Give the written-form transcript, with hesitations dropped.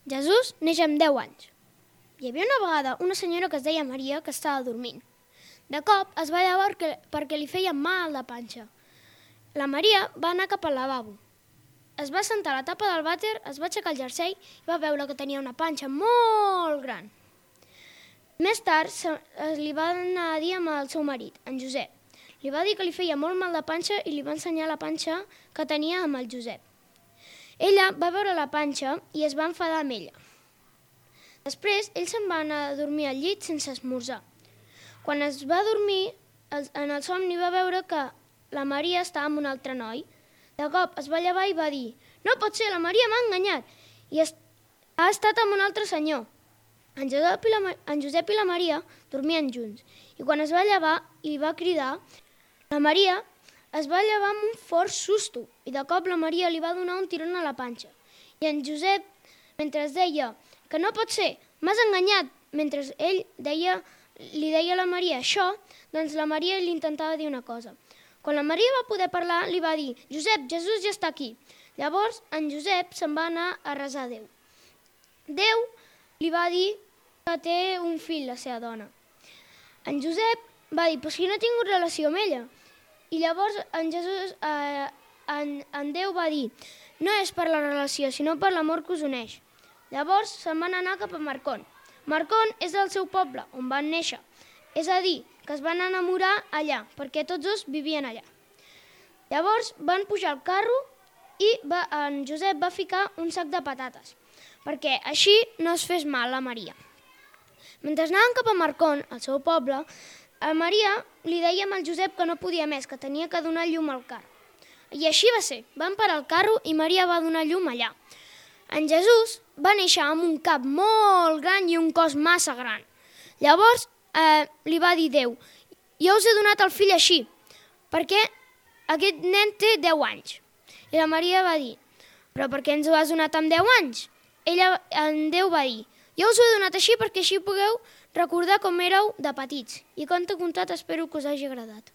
Jesús neix amb 10 anys. Hi havia una vegada una senyora que es deia Maria que estava dormint. De cop es va llevar perquè li feia mal de panxa. La Maria va anar cap al lavabo. Es va sentar a la tapa del vàter, es va aixecar el jersei i va veure que tenia una panxa molt gran. Més tard li va anar a dir amb el seu marit, en Josep. Li va dir que li feia molt mal de panxa i li va ensenyar la panxa que tenia amb el Josep. Ella va veure la panxa i es va enfadar amb ella. Després, ell se'n va anar a dormir al llit sense esmorzar. Quan es va dormir, en el somni va veure que la Maria estava amb un altre noi. De cop es va llevar i va dir: «No pot ser, la Maria m'ha enganyat i ha estat amb un altre senyor». En Josep i la Maria dormien junts i quan es va llevar i li va cridar, la Maria es va llevar amb un fort susto i de cop la Maria li va donar un tiron a la panxa. I en Josep, mentre deia que no pot ser, m'has enganyat, mentre ell li deia a la Maria això, doncs la Maria li intentava dir una cosa. Quan la Maria va poder parlar, li va dir: «Josep, Jesús ja està aquí». Llavors, en Josep se'n va anar a resar a Déu. Déu li va dir que té un fill, la seva dona. En Josep va dir: «Però si no he tingut relació amb ella». I llavors en Déu va dir: «No és per la relació, sinó per l'amor que us uneix». Llavors se'n van anar cap a Marcón. Marcón és el seu poble, on van néixer. És a dir, que es van enamorar allà, perquè tots dos vivien allà. Llavors van pujar al carro i en Josep va ficar un sac de patates, perquè així no es fes mal a Maria. Mentre anaven cap a Marcón, al seu poble, a Maria li deia al Josep que no podia més, que tenia que donar llum al carro. I així va ser. Van parar el carro i Maria va donar llum allà. En Jesús va néixer amb un cap molt gran i un cos massa gran. Llavors li va dir Déu: «Jo us he donat el fill així, perquè aquest nen té 10 anys». I la Maria va dir: «Però per què ens ho has donat amb 10 anys?» En Déu va dir: «Jo us ho he donat així perquè així pugueu recordar com éreu de petits». I conte contat, espero que us hagi agradat.